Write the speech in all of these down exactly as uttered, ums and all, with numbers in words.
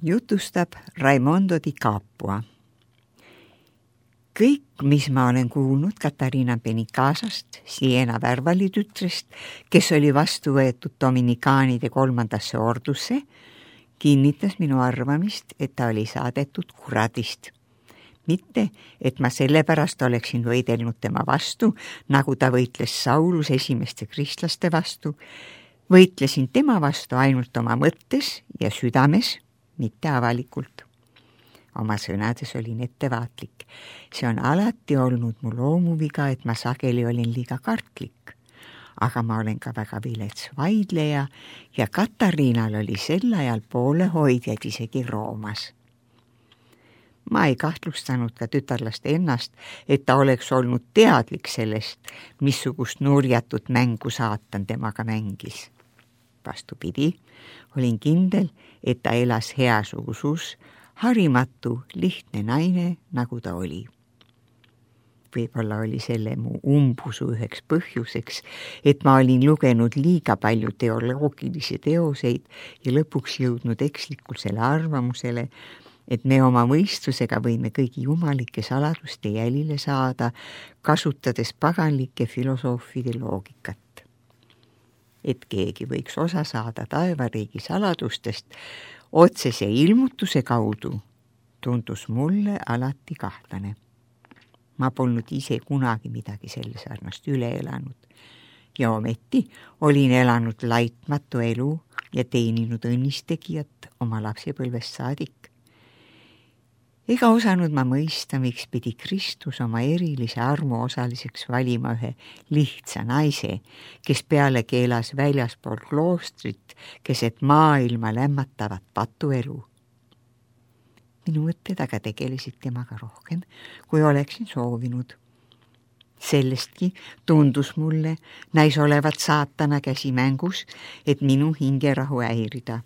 Jutustab Raimondo di Capua. Kõik, mis ma olen kuulnud Katariina Benicasast, Siena Värvali tütrest, kes oli vastu võetud dominikaanide kolmandasse ordusse, kinnitas minu arvamist, et ta oli saadetud kuradist. Mitte, et ma sellepärast oleksin võidelnud tema vastu, nagu ta võitles Saulus esimeste kristlaste vastu. Võitlesin tema vastu ainult oma mõttes ja südames, mitte avalikult. Oma sõnades olin ettevaatlik. See on alati olnud mu loomuviga, et ma sageli olin liiga kartlik. Aga ma olen ka väga vilets vaidleja ja Katariinal oli sel ajal poolehoidjad isegi Roomas. Ma ei kahtlustanud ka tütarlast ennast, et ta oleks olnud teadlik sellest, missugust nurjatut mängu saatan temaga mängis. Vastupidi, olin kindel, et ta elas heas usus, harimatu, lihtne naine, nagu ta oli. Võib-olla oli selle mu umbusu üheks põhjuseks, et ma olin lugenud liiga palju teoloogilisi teoseid ja lõpuks jõudnud ekslikusele arvamusele, et me oma mõistusega võime kõigi jumalike saladuste jälile saada, kasutades paganlike filosoofide loogikat. Et keegi võiks osa saada taevariigi saladustest otsese ilmutuse kaudu, tundus mulle alati kahtlane. Ma polnud ise kunagi midagi selle sarnast üle elanud ja ometi olin elanud laitmatu elu ja teeninud õnnistegijat oma lapsepõlvest saadik. Ega osanud ma mõista, miks pidi Kristus oma erilise armu osaliseks valima ühe lihtsa naise, kes peale keelas väljaspool kloostrit, keset maailma lämmatavat patuelu. Minu mõtted aga tegelesid temaga rohkem, kui oleksin soovinud. Sellestki tundus mulle näis olevat saatana käsi mängus, et minu hingerahu häirida.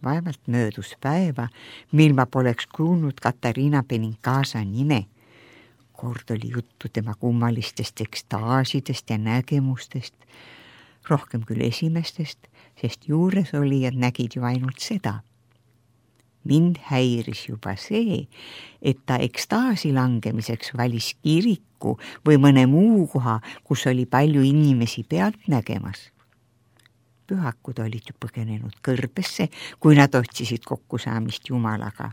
Vaevalt möödus päeva, mil ma poleks kuulnud Katariina Benicasa nime. Kord oli juttu tema kummalistest ekstaasidest ja nägemustest, rohkem küll esimestest, sest juures olijad nägid ju ainult seda. Mind häiris juba see, et ta ekstaasi langemiseks valis kiriku või mõne muu koha, kus oli palju inimesi pealt nägemas. Pühakud olid ju põgenenud kõrbesse, kui nad otsisid kokkusaamist Jumalaga.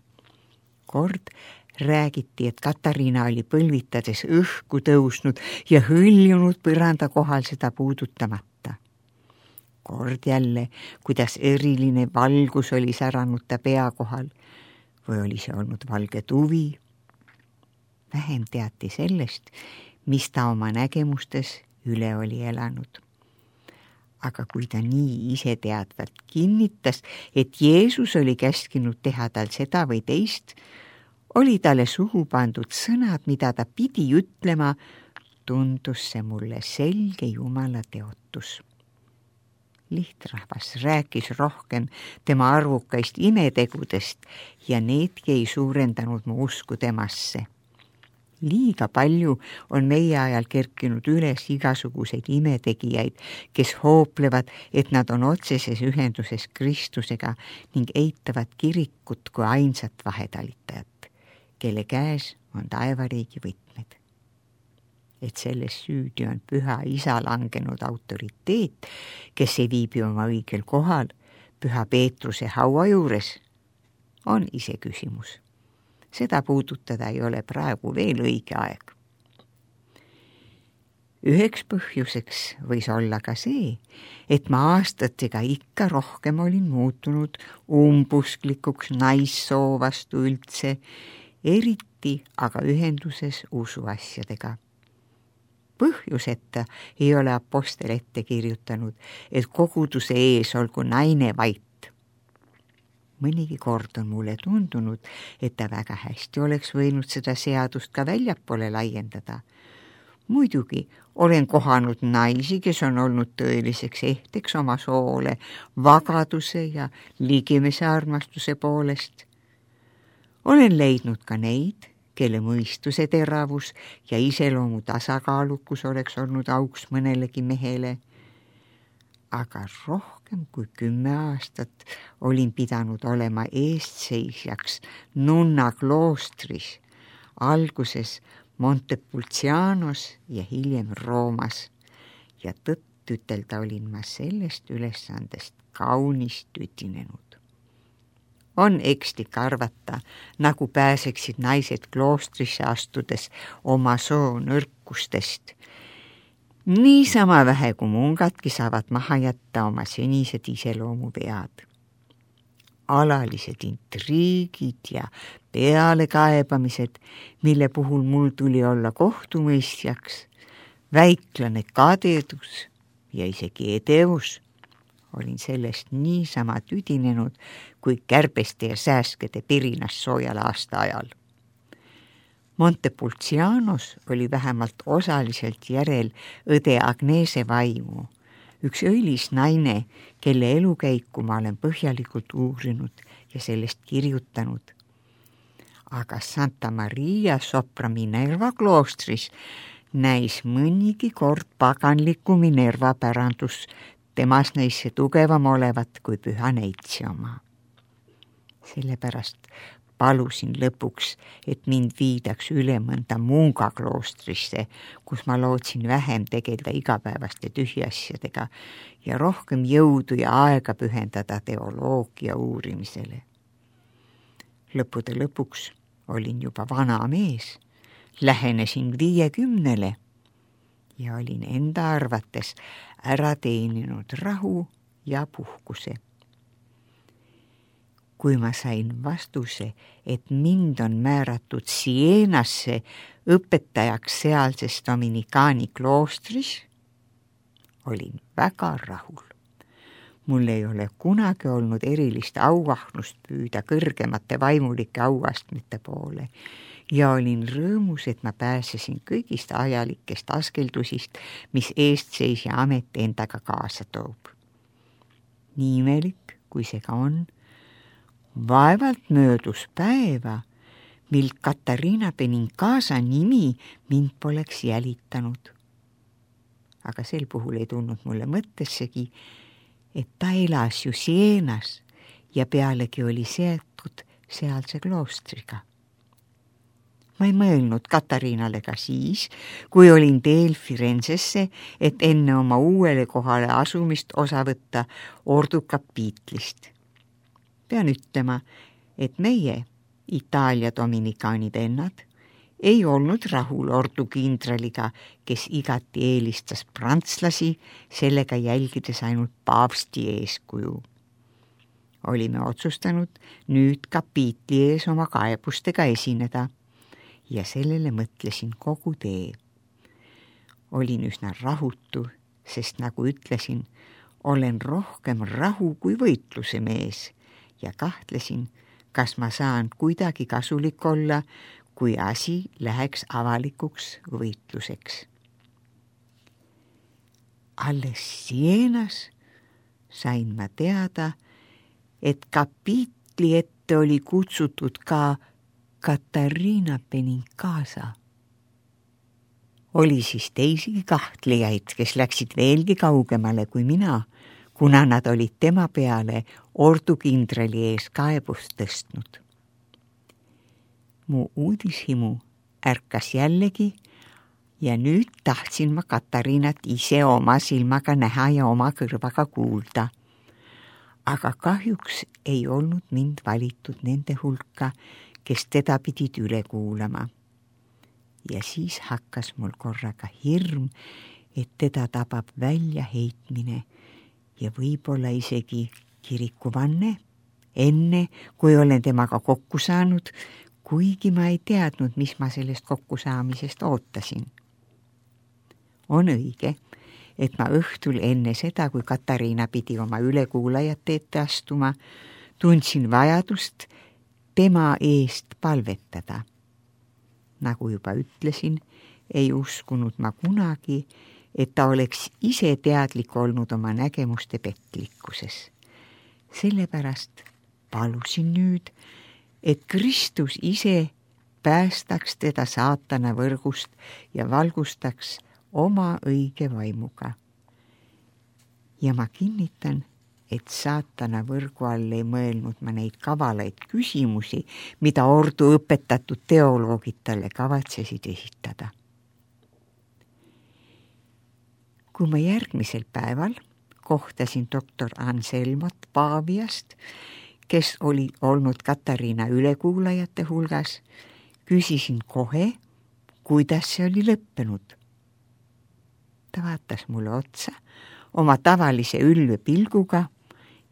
Kord räägiti, et Katariina oli põlvitades õhku tõusnud ja hõljunud põranda kohal seda puudutamata. Kord jälle, kuidas eriline valgus oli säranud ta pea kohal või oli see olnud valge tuvi. Vähem teati sellest, mis ta oma nägemustes üle oli elanud. Aga kui ta nii ise teadvalt kinnitas, et Jeesus oli käskinud teha tal seda või teist, oli talle suhu pandud sõnad, mida ta pidi ütlema, tundus see mulle selge Jumala teotus. Lihtrahvas rääkis rohkem tema arvukaist imetegudest ja needki ei suurendanud mu usku temasse. Liiga palju on meie ajal kerkinud üles igasuguseid imetegijaid, kes hooplevad, et nad on otseses ühenduses Kristusega ning eitavad kirikut kui ainsat vahetalitajat, kelle käes on taevariigi võtmed. Et selles süüdi on püha isa langenud autoriteet, kes ei viibi oma õigel kohal, püha Peetruse haua juures, on ise küsimus. Seda puudutada ei ole praegu veel õige aeg. Üheks põhjuseks võis olla ka see, et ma aastatega ikka rohkem olin muutunud umbusklikuks naissoo vastu üldse, eriti aga ühenduses usuasjadega. Põhjuseta ei ole apostel ette kirjutanud, et koguduse ees olgu naine vait. Mõnigi kord on mulle tundunud, et ta väga hästi oleks võinud seda seadust ka väljapoole laiendada. Muidugi olen kohanud naisi, kes on olnud tõeliseks ehteks oma soole, vagaduse ja ligimese armastuse poolest. Olen leidnud ka neid, kelle mõistuse teravus ja iseloomu tasakaalukus oleks olnud auks mõnelegi mehele. aga rohkem kui kümme aastat olin pidanud olema eestseisjaks nunna kloostris, alguses Montepulcianos ja hiljem Roomas ja tõtt ütelda olin ma sellest ülesandest kaunis tütinenud. On ekslik arvata, nagu pääseksid naised kloostrisse astudes oma soo nõrkustest. Niisama vähe kui mungadki saavad maha jätta oma senised iseloomuvead. Alalised intriigid ja pealekaebamised, mille puhul mul tuli olla kohtumõistjaks, väiklane kadedus ja isegi edevus. Olin sellest niisama tüdinenud kui kärbeste ja sääskede pirinas soojal aasta ajal. Montepulcianos oli vähemalt osaliselt järel õde Agnese vaimu, üks õilis naine, kelle elukäiku ma olen põhjalikult uurinud ja sellest kirjutanud. Aga Santa Maria sopra Minerva kloostris näis mõnigi kord paganliku Minerva pärandus temas neisse tugevam olevat kui püha neitsi oma. Sellepärast palusin lõpuks, et mind viidaks üle mõnda Munga kloostrisse, kus ma lootsin vähem tegelda igapäevaste tühiasjadega ja rohkem jõudu ja aega pühendada teoloogia uurimisele. Lõppude lõpuks olin juba vana mees, lähenesin viiekümnele ja olin enda arvates ära teeninud rahu ja puhkuse. Kui ma sain vastuse, et mind on määratud Sienasse õpetajaks sealses Dominikaani kloostris, olin väga rahul. Mul ei ole kunagi olnud erilist auahnust püüda kõrgemate vaimulike auastmete poole ja olin rõõmus, et ma pääsesin kõigist ajalikest askeldusist, mis eestseisja amet endaga kaasa toob. Nii imelik, kui see ka on, vaevalt möödus päeva, mil Katariina Benincasa nimi mind poleks jälitanud. Aga sel puhul ei tulnud mulle mõttessegi, et ta elas ju Sienas ja pealegi oli seotud sealse kloostriga. Ma ei mõelnud Katariinale ka siis, kui olin teel Firenzesse, et enne oma uuele kohale asumist osa võtta Ordu kapiitlist. Pean ütlema, et meie, Itaalia dominikaani vennad, ei olnud rahul Ordu kindraliga, kes igati eelistas prantslasi, sellega jälgides ainult paavsti eeskuju. Olime otsustanud nüüd kapiitli ees oma kaebustega esineda ja sellele mõtlesin kogu tee. Olin üsna rahutu, sest nagu ütlesin, olen rohkem rahu kui võitluse mees ja kahtlesin, kas ma saan kuidagi kasulik olla, kui asi läheks avalikuks võitluseks. Alles Sienas sain ma teada, et kapiitli ette oli kutsutud ka Katariina Benincasa. Oli siis teisigi kahtlejaid, kes läksid veelgi kaugemale kui mina, kuna nad olid tema peale Ordu kindrali ees kaebust tõstnud. Mu uudishimu ärkas jällegi ja nüüd tahtsin ma Katariinat ise oma silmaga näha ja oma kõrvaga kuulda. Aga kahjuks ei olnud mind valitud nende hulka, kes teda pidid üle kuulama. Ja siis hakkas mul korraga hirm, et teda tabab välja heitmine ja võib-olla isegi kirikuvanne, enne kui olen temaga kokku saanud, kuigi ma ei teadnud, mis ma sellest kokkusaamisest ootasin. On õige, et ma õhtul enne seda, kui Katariina pidi oma ülekuulajate ette astuma, tundsin vajadust tema eest palvetada. Nagu juba ütlesin, ei uskunud ma kunagi, et ta oleks ise teadlik olnud oma nägemuste petlikkuses. Sellepärast palusin nüüd, et Kristus ise päästaks teda saatana võrgust ja valgustaks oma õige vaimuga. ja ma kinnitan, et saatana võrgu all ei mõelnud ma neid kavalaid küsimusi, mida ordu õpetatud teoloogid talle kavatsesid esitada. Kui ma järgmisel päeval kohtasin doktor Anselmot Paaviast, kes oli olnud Katariina ülekuulajate hulgas, küsisin kohe, kuidas see oli lõppenud. Ta vaatas mulle otsa oma tavalise ülve pilguga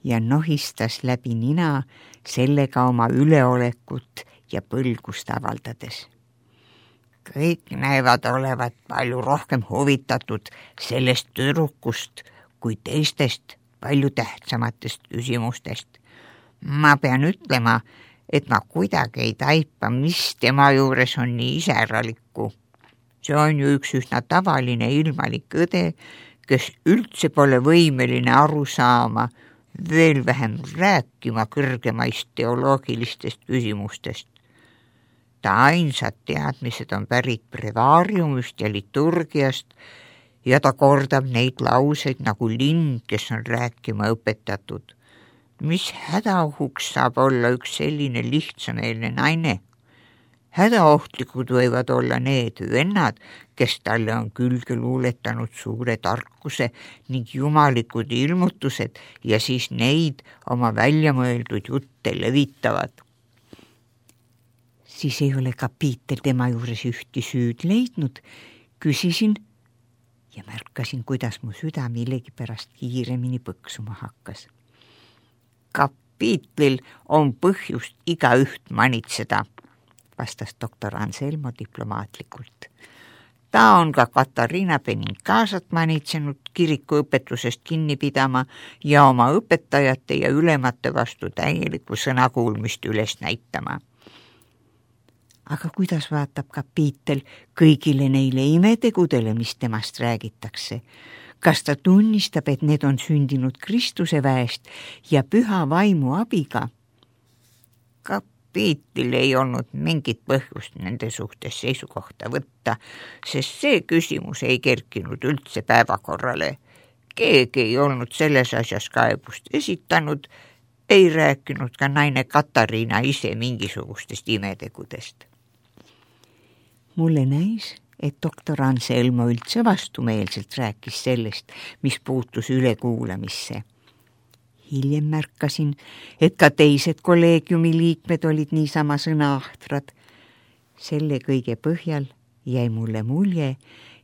ja nohistas läbi nina sellega oma üleolekut ja põlgust avaldades. Kõik näevad olevat palju rohkem huvitatud sellest tüdrukust kui teistest palju tähtsamatest küsimustest. Ma pean ütlema, et ma kuidagi ei taipa, mis tema juures on nii iseäralikku. See on ju üks üsna tavaline ilmalik õde, kes üldse pole võimeline aru saama, veel vähem rääkima kõrgemaist teoloogilistest küsimustest. Ta ainsad teadmised on pärit brevaariumist ja liturgiast ja ta kordab neid lauseid nagu lind, kes on rääkima õpetatud. Mis hädaohuks saab olla üks selline lihtsameelne naine? Hädaohtlikud võivad olla need vennad, kes talle on külge luuletanud suure tarkuse ning jumalikud ilmutused ja siis neid oma väljamõeldud jutte levitavad. Siis ei ole kapiitel tema juures ühti süüd leidnud, küsisin ja märkasin, kuidas mu süda millegipärast kiiremini põksuma hakkas. Kapiitlil on põhjust igaüht manitseda, vastas doktor Anselmo diplomaatlikult. Ta on ka Katariina Benincasat manitsenud kirikuõpetusest kinni pidama ja oma õpetajate ja ülemate vastu täielikku sõnakuulmist üles näitama. Aga kuidas vaatab kapiitel kõigile neile imetegudele, mis temast räägitakse? Kas ta tunnistab, et need on sündinud Kristuse väest ja püha vaimu abiga? Kapiitil ei olnud mingit põhjust nende suhtes seisukohta võtta, sest see küsimus ei kerkinud üldse päevakorrale. Keegi ei olnud selles asjas kaebust esitanud, ei rääkinud ka naine Katariina ise mingisugustest imetegudest. Mulle näis, et doktor Anselmo üldse vastumeelselt rääkis sellest, mis puutus ülekuulamisse. Hiljem märkasin, et ka teised kolleegiumi liikmed olid niisama sõnaahtrad. Selle kõige põhjal jäi mulle mulje,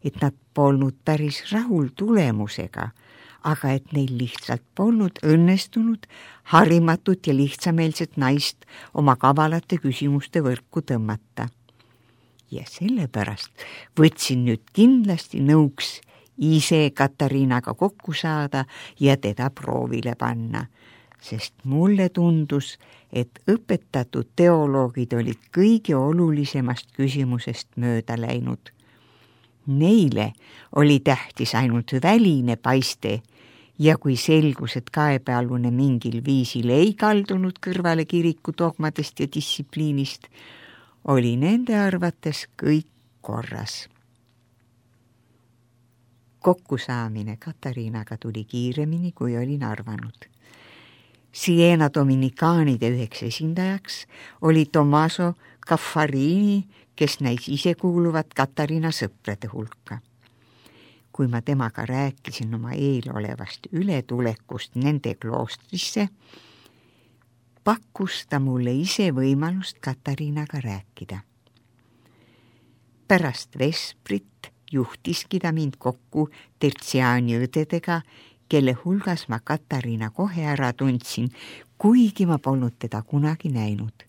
et nad polnud päris rahul tulemusega, aga et neil lihtsalt polnud õnnestunud harimatut ja lihtsameelset naist oma kavalate küsimuste võrku tõmmata. Ja sellepärast võtsin nüüd kindlasti nõuks ise Katariinaga kokku saada ja teda proovile panna, sest mulle tundus, et õpetatud teoloogid olid kõige olulisemast küsimusest mööda läinud. Neile oli tähtis ainult väline paiste ja kui selgus, et kaebealune mingil viisil ei kaldunud kõrvale kiriku dogmadest ja distsipliinist, oli nende arvates kõik korras. Kokkusaamine Katariinaga tuli kiiremini, kui olin arvanud. Siena dominikaanide üheks esindajaks oli Tommaso Caffarini, kes näis ise kuuluvat Katariina sõprade hulka. Kui ma temaga rääkisin oma eelolevast ületulekust nende kloostrisse, pakkus ta mulle ise võimalust Katariinaga rääkida. Pärast vesprit juhtiski ta mind kokku tertsiaani õdedega, kelle hulgas ma Katariina kohe ära tundsin, kuigi ma polnud teda kunagi näinud.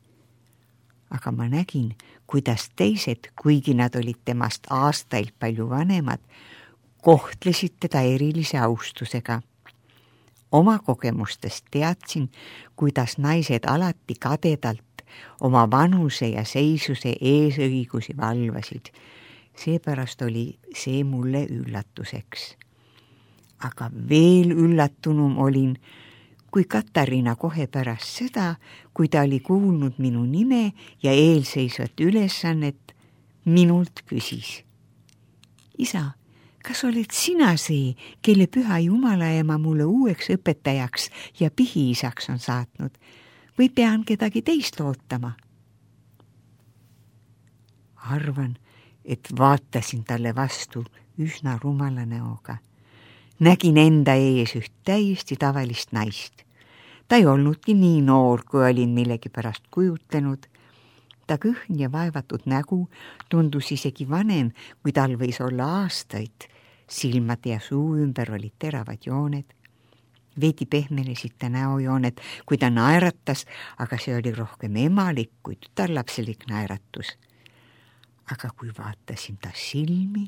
Aga ma nägin, kuidas teised, kuigi nad olid temast aastaid palju vanemad, kohtlesid teda erilise austusega. Oma kogemustest teadsin, kuidas naised alati kadedalt oma vanuse ja seisuse eesõigusi valvasid. Seepärast oli see mulle üllatuseks. Aga veel üllatunum olin, kui Katariina kohe pärast seda, kui ta oli kuulnud minu nime ja eelseisvat ülesannet, minult küsis. Isa, kas oled sina see, kelle püha Jumala ema mulle uueks õpetajaks ja pihiisaks on saatnud või pean kedagi teist ootama? Arvan, et vaatasin talle vastu üsna rumala näoga. Nägin enda ees üht täiesti tavalist naist. Ta ei olnudki nii noor, kui olin millegi pärast kujutlenud. Ta kõhn ja vaevatud nägu tundus isegi vanem, kui tal võis olla aastaid. Silmad ja suu ümber olid teravad jooned. Veidi pehmenesid ta näojooned, kui ta naeratas, aga see oli rohkem emalik kui tütarlapselik naeratus. Aga kui vaatasin ta silmi,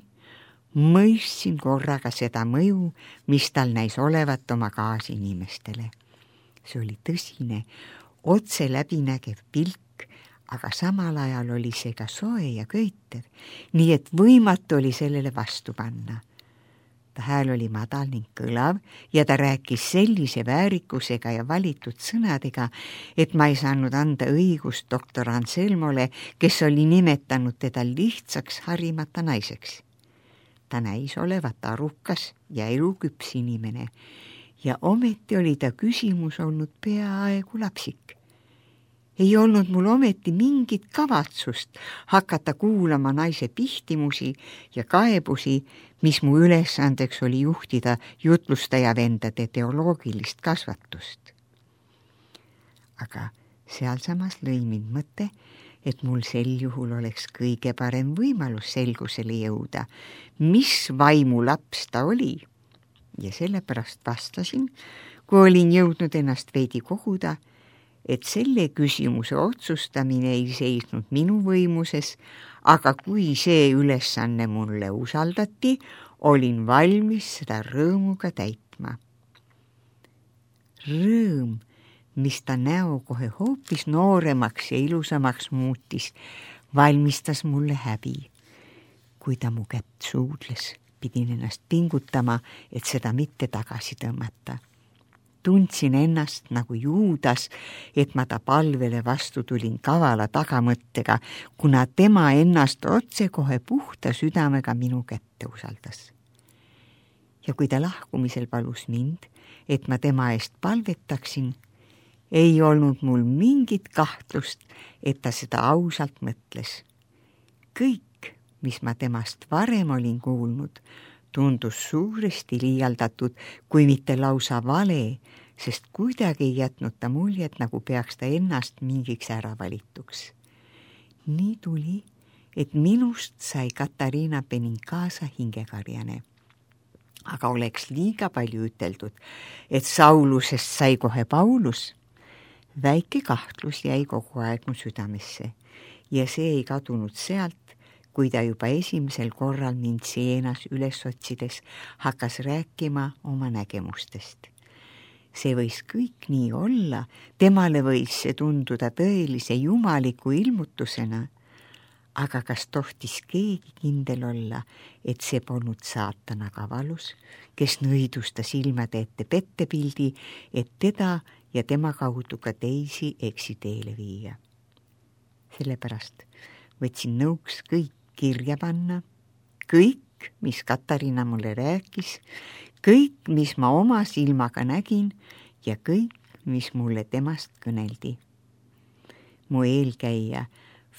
mõistsin korraga seda mõju, mis tal näis olevat oma kaasinimestele. See oli tõsine, otse läbinägev pilk, aga samal ajal oli see ka soe ja köitev, nii et võimatu oli sellele vastu panna. Ta hääl oli madal ning kõlav ja ta rääkis sellise väärikusega ja valitud sõnadega, et ma ei saanud anda õigust doktor Anselmole, kes oli nimetanud teda lihtsaks harimata naiseks. Ta näis olevat arukas ja eluküps inimene ja ometi oli ta küsimus olnud peaaegu lapsik. Ei olnud mul ometi mingit kavatsust hakata kuulama naise pihtimusi ja kaebusi, mis mu ülesandeks oli juhtida jutlustaja vendade teoloogilist kasvatust. Aga sealsamas lõi mind mõte, et mul sel juhul oleks kõige parem võimalus selgusele jõuda, mis vaimu laps ta oli. Ja sellepärast vastasin, kui olin jõudnud ennast veidi koguda, et selle küsimuse otsustamine ei seisnud minu võimuses, aga kui see ülesanne mulle usaldati, olin valmis seda rõõmuga täitma. Rõõm, mis ta näo kohe hoopis nooremaks ja ilusamaks muutis, valmistas mulle häbi. Kui ta mu kätt suudles, pidin ennast pingutama, et seda mitte tagasi tõmmata. Tundsin ennast nagu Juudas, et ma ta palvele vastu tulin kavala tagamõttega, kuna tema ennast otse kohe puhta südamega minu kätte usaldas. Ja kui ta lahkumisel palus mind, et ma tema eest palvetaksin, ei olnud mul mingit kahtlust, et ta seda ausalt mõtles. Kõik, mis ma temast varem olin kuulnud, tundus suuresti liialdatud, kui mitte lausa vale, sest kuidagi ei jätnud ta muljet, nagu peaks ta ennast mingiks ära valituks. Nii tuli, et minust sai Katariina Benincasa hingekarjane. Aga oleks liiga palju üteldud, et Saulusest sai kohe Paulus. Väike kahtlus jäi kogu aeg mu südamesse ja see ei kadunud sealt, kui ta juba esimesel korral mind Sienas üles otsides hakkas rääkima oma nägemustest. See võis kõik nii olla, temale võis see tunduda tõelise jumaliku ilmutusena, aga kas tohtis keegi kindel olla, et see polnud saatana kavalus, kes nõidus ta silmade ette pettepildi, et teda ja tema kaudu ka teisi eksiteele viia. Sellepärast võtsin nõuks kõik kirja panna, kõik, mis Katariina mulle rääkis, kõik, mis ma oma silmaga nägin ja kõik, mis mulle temast kõneldi. Mu eelkäija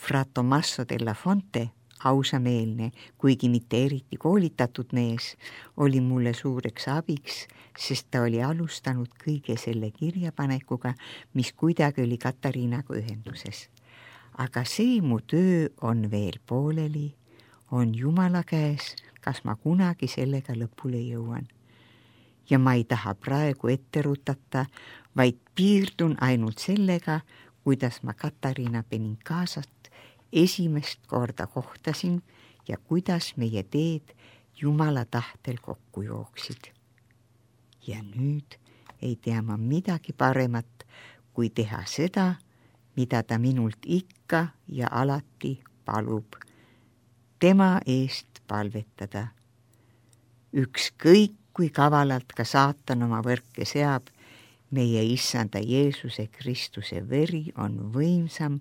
Fra Tommaso della Fonte, ausameelne, kuigi mitte eriti koolitatud mees, oli mulle suureks abiks, sest ta oli alustanud kõige selle kirjapanekuga, mis kuidagi oli Katariinaga ühenduses. Aga see mu töö on veel pooleli, on Jumala käes, kas ma kunagi sellega lõpule jõuan. Ja ma ei taha praegu ette rutata, vaid piirdun ainult sellega, kuidas ma Katariina Benincasat esimest korda kohtasin ja kuidas meie teed Jumala tahtel kokku jooksid. Ja nüüd ei tea ma midagi paremat, kui teha seda, mida ta minult ikka ja alati palub, tema eest palvetada. Ükskõik, kui kavalalt ka saatan oma võrke seab, meie Issanda Jeesuse Kristuse veri on võimsam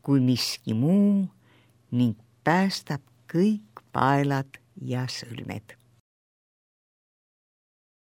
kui miski muu ning päästab kõik paelad ja sõlmed.